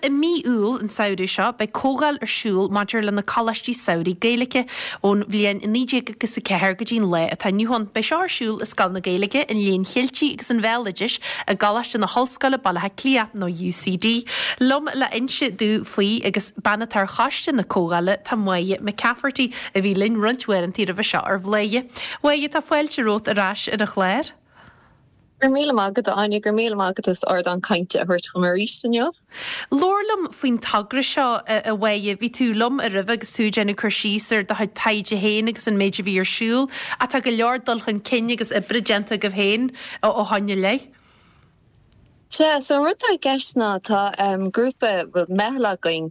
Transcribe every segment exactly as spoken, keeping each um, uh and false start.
i mí Iúil an samhradh seo, beidh comhdháil ar siúl maidir le na coláistí samhraidh Gaeilge ón bhliain naoi déag agus a ceathair go dtí an lá atá inniu ann. Beidh seo ar siúl i Scoil na Gaeilge, an Léinn Cheiltigh agus an Bhéaloidis i gColáiste na hOllscoile, Baile Átha Cliath, nó UCD. Liom le inse domh faoi agus bean atá ar choiste na comhdhála tá Máire McCafferty a bhí linn roinnt uaireanta roimhe seo ar Bhladhaire. Mháire, tá fáilte romhat ar ais ar an chlár. Go raibh míle maith agat, Áine, go raibh míle maith agat as ardán cainte a thabhairt dom arís inniu. Labhair liom faoin togra seo, a Mháire. Bhí tú liom roimhe agus tú ag déanamh cur síos ar do chuid taighde féin agus an méid a bhí ar siúl. Ach tá go leor dul chun cinn agus oibre déanta agaibh féin ó shoin i leith. Sea, so an rud atá i gceist ná tá grúpa, bhuel, meitheal againn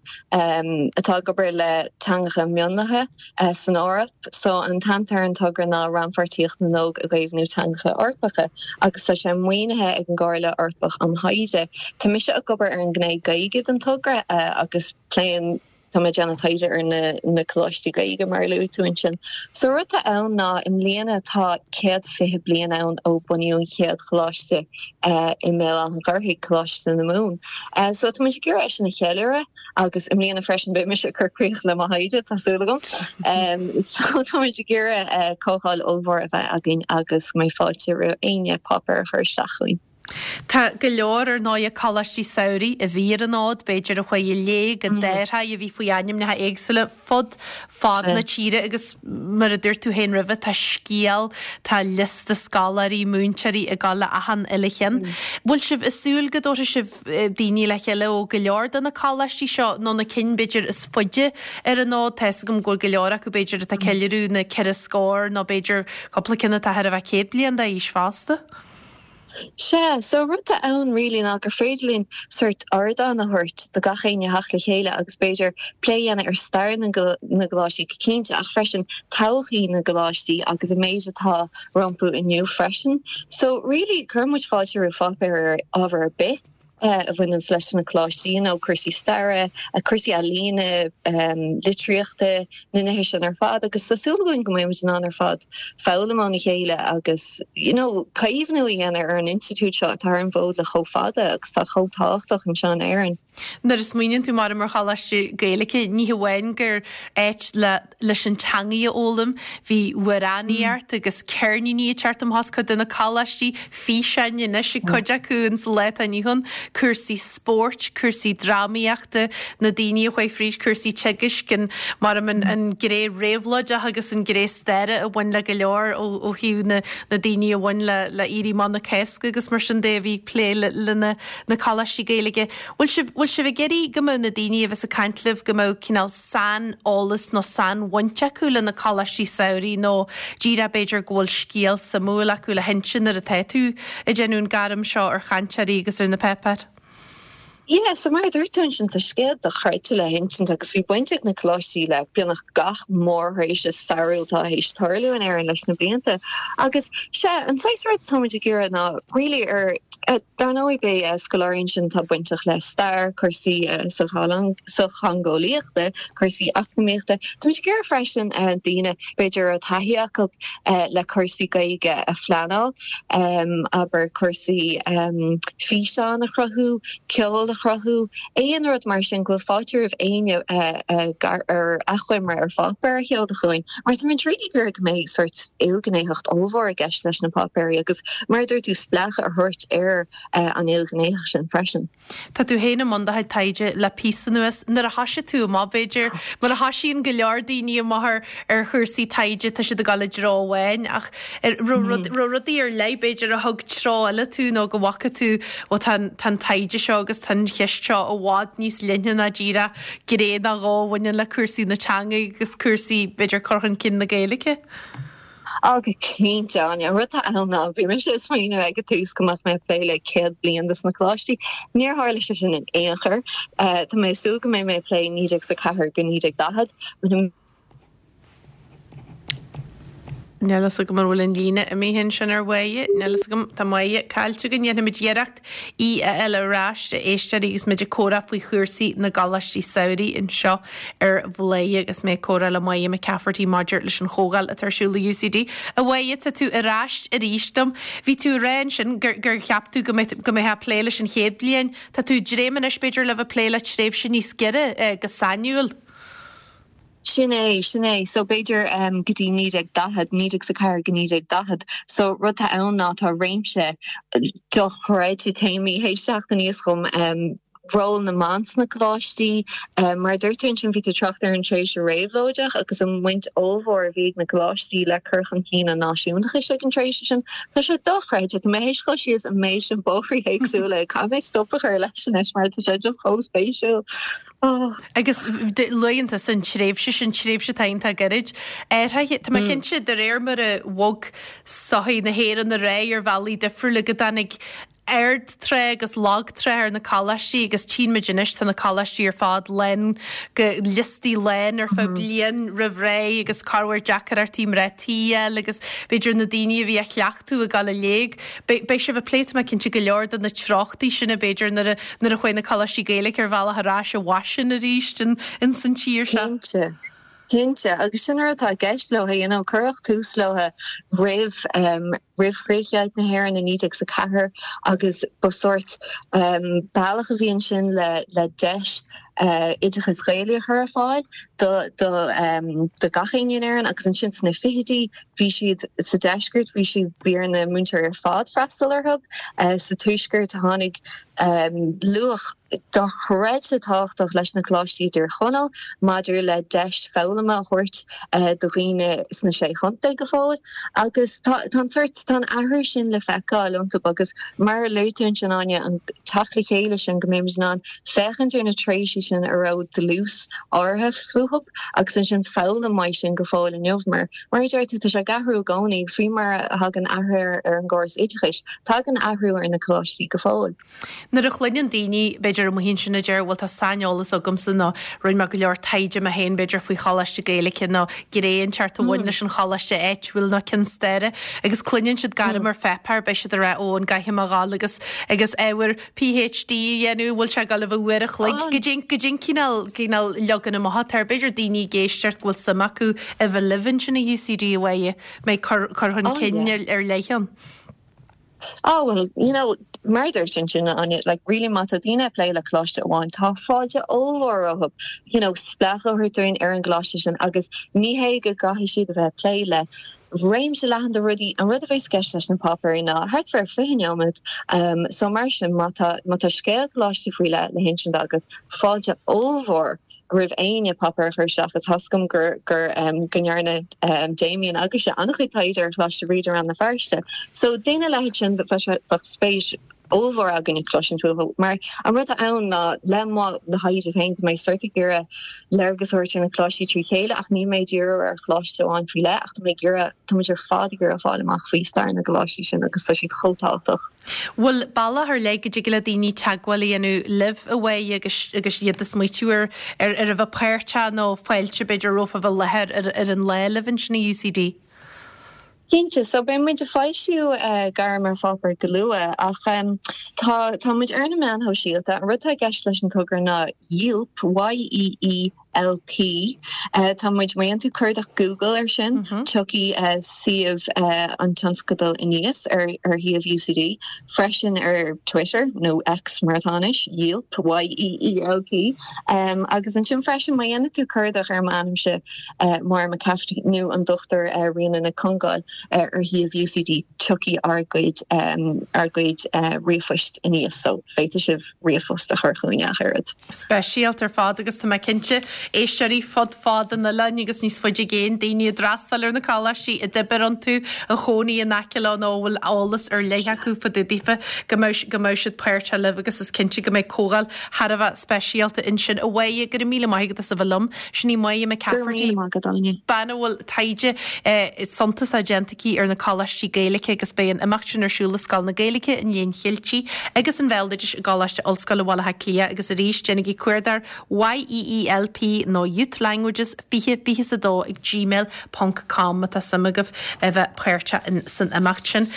atá ag obair le teangacha mionlaithe san Eoraip. So an t-ainm atá ar an togra ná Rannpháirtíocht na nÓg i gCaomhnú Teangacha Eorpacha agus tá sé maoinithe ag an gComhairle Eorpach um Thaighde. Tá mise ag obair ar an ngné Gaeilge den togra agus pléann Tá mé ag déanamh taighde ar na na coláistí Gaeilge mar a luaigh tú ansin. So rud atá ann ná i mbliana tá céad fiche bliain ann ó bunaíodh an chéad choláiste i mBéal Átha an Ghaorthaidh, Coláiste na Mumhan. So tá muid ag iarraidh é sin a cheiliúradh agus i mbliana freisin beidh mise ag cur críoch le mo thaighde, tá súil agam. So tá muid ag iarraidh comhdháil ollmhór a bheith againn agus go mbeidh fáilte roimh éinne páipéar a chur isteach chugainn. Tá go leor, ar ndóigh, coláistí samhraidh a bhí ar an fhód, b'fhéidir a chuaigh i léig, a d'athraigh, a bhí faoi ainmneacha éagsúla fud fad na tíre agus mar a dúirt tú féin roimhe, tá scéal, tá liosta scoláirí, múinteoirí ag dul le achan uile cheann. Bhfuil sibh ag súil go dtabharfaidh sibh daoine le chéile ó go leor de na coláistí seo nó na cinn b'fhéidir is faide ar an fhód? Tá 'fhios agam go bhfuil go leor acu b'fhéidir atá ag ceiliúradh na ceithre scór nó b'fhéidir cúpla ceann atá thar a bheith céad bliain d'aois fosta. Sea, so an rud atá ann really ná gur féidir linn sórt ardán a thabhairt do gach éinne theacht le chéile agus b'fhéidir plé a dhéanamh ar stair na gcoláistí go cinnte ach freisin todhchaí na gcoláistí agus an méid atá rompu inniu freisin. So really cuireann muid fáilte roimh pháipéir ar ábhar ar bith. a bhaineanns leis na coláistí, you know, cúrsaí staire, cúrsaí ealaíne, litríochta, na nithe sin ar fad agus tá súil againn go mbeidh muid in ann ar fad foghlaim óna chéile agus, you know, caomhnú a dhéanamh ar an institiúid seo atá ar an bhfód le chomh fada agus atá chomh tábhachtach anseo in Éirinn. Nuair a smaoiníonn tú mar ar choláiste Gaeilge, ní hamháin gur áit le leis an teangaidh a fhoghlaim, bhí amhránaíocht agus ceirníní ag teacht amach as cuid de na coláistí, físeáin anois ag cuid acu ins an lá atá inniu ann, cúrsaí spóirt, cúrsaí drámaíochta, na daoine a chuaigh fríd cúrsaí teagaisc, an mar an an gné réabhlóideach agus an gné staire a bhain le go leor ó ó thaobh na na daoine a bhain le le Éirí Amach na Cásca agus mar sin de a bhí ag plé le le na na coláistí Gaeilge. Bhfuil sibh, bhfuil sibh ag iarraidh go mbeadh na daoine a bheas ag caint libh, go mbeadh cineál saineolas nó sainbhaint acu le na coláistí samhraidh nó díreach b'fhéidir go bhfuil scéal suimiúil acu le hinse nuair atá tú ag déanamh an gairm seo ar chainteoirí agus ar na páipéir? Yeah, so mar a dúirt tú ansin, tá scéal dochreidte le hinsint agus bhí baint ag na coláistí le beagnach gach mórthréimhse stairiúil atá théis tarlú in Éirinn leis na blianta. Agus sea, an saghas rud atá muid ag iarraidh ná really ar Dar ndóigh, beidh scoláirí ansin atá bainteach le stair, cúrsaí sochtheangeolaíochta, cúrsaí eacnamaíochta. Táimid ag iarraidh freisin daoine, b'fhéidir, a raibh taithí acu le cúrsaí Gaeilge a phleanáil, abair cúrsaí físeán a chruthú, ceol a chruthú, aon rud mar sin, go bhfuil fáilte roimh éinne ar achoimre ar pháipéar a sheoladh chugainn. Mar táimid really ag iarraidh go mbeidh sórt ilghnéitheacht ollmhór i gceist leis na páipéirí agus, mar a dúirt tú, spleáchadh a thabhairt ar an ilghnéitheacht sin freisin. Tá tú féin i mbun do chuid taighde le píosa anuas. Nuair a thoisigh tú amach, b'fhéidir, mar a thoisíonn go leor daoine amach ar ar chúrsaí taighde, tá siad ag dul i dtreo amháin ach raibh rudaí ar leith, b'fhéidir, a thug treo eile tú nó go bhfaca tú, ó tá an taighde seo agus tá an cheist seo i bhfad níos leithne ná díreach gné nó dhó a bhaineann le cúrsaí na teanga agus cúrsaí, b'fhéidir, cur chun cinn na Gaeilge. Á, go cinnte, Áine. An rud atá ann ná, bhí mise ag smaoineamh ag an tús go mbeadh mé ag plé le céad bliain dos na coláistí. Níor tharla sé sin in aon chor. Tá mé ag súil go mbeidh mé ag plé naoi déag is a ceathair go naoi déag daichead. Níl a fhios agam an bhfuil an líne imithe ansin ar Mháire, níl a fhios agam, tá Máire caillte againn, déanfaimid iarracht í a fháil ar ais, a éisteoirí, agus muid ag comhrá faoi chúrsaí na gcoláistí samhraidh anseo ar Bhladhaire agus mé ag comhrá le Máire McCafferty maidir leis an chomhdháil atá ar siúl i UCD. A Mháire, tá tú ar ais arís dom. Bhí tú ag rá ansin gur gur cheap tú go mbeadh go mbeifeá ag plé leis an chéad bhliain. Tá tú ag dréim anois b'fhéidir le bheith ag plé le tréimhse níos giorra go sainiúil. Sin é, sin é. So b'fhéidir um, go dtí naoi déag daichead, naoi déag is a ceathair go naoi déag daichead. So rud atá ann ná tá réimse dochreidte téamaí théis teacht aníos chugam um, ról na mban sna coláistí, um, mar dúirt tú ansin bhí tú ag trácht ar an tréimhse réabhlóideach agus an bhaint ollmhór a bhí ag na coláistí le cur chun cinn an náisiúnachais ag an tréimhse sin. Tá sé dochreidte, tá mé théis dul síos an méid sin bóithrí éagsúla, caithfidh mé stop a chur leis anois mar tá sé just chomh spéisiúil. Oh. Agus luann tú an tréimhse sin tréimhse atá iontach gairid. Tá mé cinnte de réir mar a bhog sochaí na hÉireann ar aghaidh ar bhealaí difriúla go dtáinig ardtráth agus lagtráth ar na coláistí agus tchíonn muid anois tá na coláistí ar fad lán go liostaí lán ar feadh bliain roimh ré agus corruair deacrachtaí mná tí a fháil agus b'fhéidir na daoine a bhí á chleachtadh ag dul i léig. Beidh sibh ag plé tá mé cinnte go leor de na treochtaí sin b'fhéidir nuair a nuair a chuaigh na coláistí Gaeilge ar bhealach ar ais i bhfaisean arís in in san tír seo. Cinnte. Cinnte, agus sin rud atá i gceist leo, you know, cuireadh tús leo roimh um, roimh chríochdheighilt na hÉireann i naoi déag is a ceathair agus ba sórt um, bealach a bhí ansin le le deis uh, oideachas Gaeilge a chur ar fáil do do um, do gach éinne in Éirinn agus ansin sna fichidí bhí siad sa deisceart bhí siad bhí ar na múinteoirí ar fad freastal orthu uh, sa tuaisceart tháinig um, luach dochreidte tábhachtach leis na coláistí i dTír Chonaill maidir le deis foghlama a thabhairt uh, do dhaoine sna sé chontae go fóill agus tá an sórt tá an athrú sin le feiceáil iontu agus mar a luaigh tú ansin Áine an teacht le chéile sin go mbeimid in ann féachaint ar na tréimhsí sin a raibh dlús áirithe fúthu agus ansin foghlaim uaidh sin go fóill inniu mar mar a deir tú tá sé ag athrú i gcónaí agus faoi mar a thagann athrú ar an gcóras oideachais tagann athrú ar na coláistí go fóill. Nuair a chluineann daoine b'fhéidir amuigh ansin a deir bhuel tá saineolas agamsa nó rinne mé go leor taighde mé féin b'fhéidir faoi choláiste Gaeilge nó gné inteacht a bhain leis an choláiste áitiúil nó ceann staire agus cluineann siad gairm ar pháipéar beidh siad ag rá ó an gcaithfidh mé a ghabháil agus agus ábhar PhD a dhéanamh bhfuil sé ag dul a bheith uair a chloig go dtí go dtí cineál cineál leagan amach atá air b'fhéidir daoine ag éisteacht go bhfuil suim acu a bheith libh ansin i UCD a mbeidh mbeidh cur cur chun cinn ar leith ann. Oh well, you know, mar dúirt ansin Áine, like really má tá daoine ag plé le coláiste amháin tá fáilte ollmhór rompu, you know, spléachadh a thabhairt dúinn ar an gcoláiste sin agus ní hé go gcaithfidh siad a bheith ag plé le réimse leathan de rudaí an rud a bheas i gceist leis na páipéirí ná thart fá fiche nóiméad um, so mar sin má tá má tá scéal coláiste faoi leith le hinsint agat fáilte ollmhór roimh éinne páipéar a chur isteach agus tá a fhios agam gur gur um, go ndearna um, Damien agus sé an-chuid taighde ar Choláiste Bhríde Rann na Feirste. So daoine leithéid sin bheadh spéis ollmhór againn ag cloisint uathu mar an rud ann ná le mo le thaighde féin tá mé sórt ag iarraidh léargas a thabhairt ar na coláistí trí chéile ach níl mé ag díriú ar choláiste amháin faoi leith ach tá mé ag iarraidh tá muid ar fad ag iarraidh fáil amach faoi stair na gcoláistí sin agus tá siad chomh tábhachtach. Bhfuil bealach ar leith go dtig le daoine teagmháil a dhéanamh libh a Mháire agus agus iad ag smaoitiú ar ar ar a bheith páirteach nó fáilte b'fhéidir rompu a bheith i láthair ar ar an lá libh ansin i UCD? Cinnte, so beidh muid ag foilsiú uh, gairm ar pháipéar go luath ach um, tá tá muid ar na meáin shóisialta an rud atá i gceist leis an togra ná Yeelp Y E E L P uh, tá muid má dhéanann tú cuardach Google ar sin mm -hmm. tiocfaidh uh, suíomh uh, an tionscadal aníos ar ar shuíomh UCD freisin ar Twitter nó X mar atá anois Yeelp Y E E L P um, agus ansin freisin má dhéanann tú cuardach ar m'ainmse uh, Máire McCafferty nó an Dr uh, Ríona Nic Congáil uh, ar shuíomh UCD tiocfaidh ár gcuid um, ár gcuid uh, ríomhphoist aníos so féadfaidh sibh ríomhphost a chur chugainn ach oiread. Speisialta ar fad agus tá mé cinnte éisteoirí fud fad an oileáin agus níos faide i gcéin daoine a d'fhreastail ar na coláistí a d'oibir iontu a chónaí in aice leo nó bhfuil eolas ar leith acu fá dtaobh daofa go mbeidh go mbeidh siad páirteach libh agus is cinnte go mbeidh comhdháil thar a bheith speisialta ansin a Mháire go raibh míle maith agat as a bheith liom sin í Máire McCafferty bean a bhfuil taighde eh, suntasach déanta aici ar na coláistí Gaeilge agus beidh an imeacht sin ar siúl i Scoil na Gaeilge an Léinn Cheiltigh agus an Bhéaloidis i gColáiste Ollscoile Bhaile Átha Cliath agus arís déanaigí cuardach YEELP Y nó Youth Languages fiche fiche a dó ag gmail ponc com má tá suim agaibh a bheith páirteach san imeacht sin.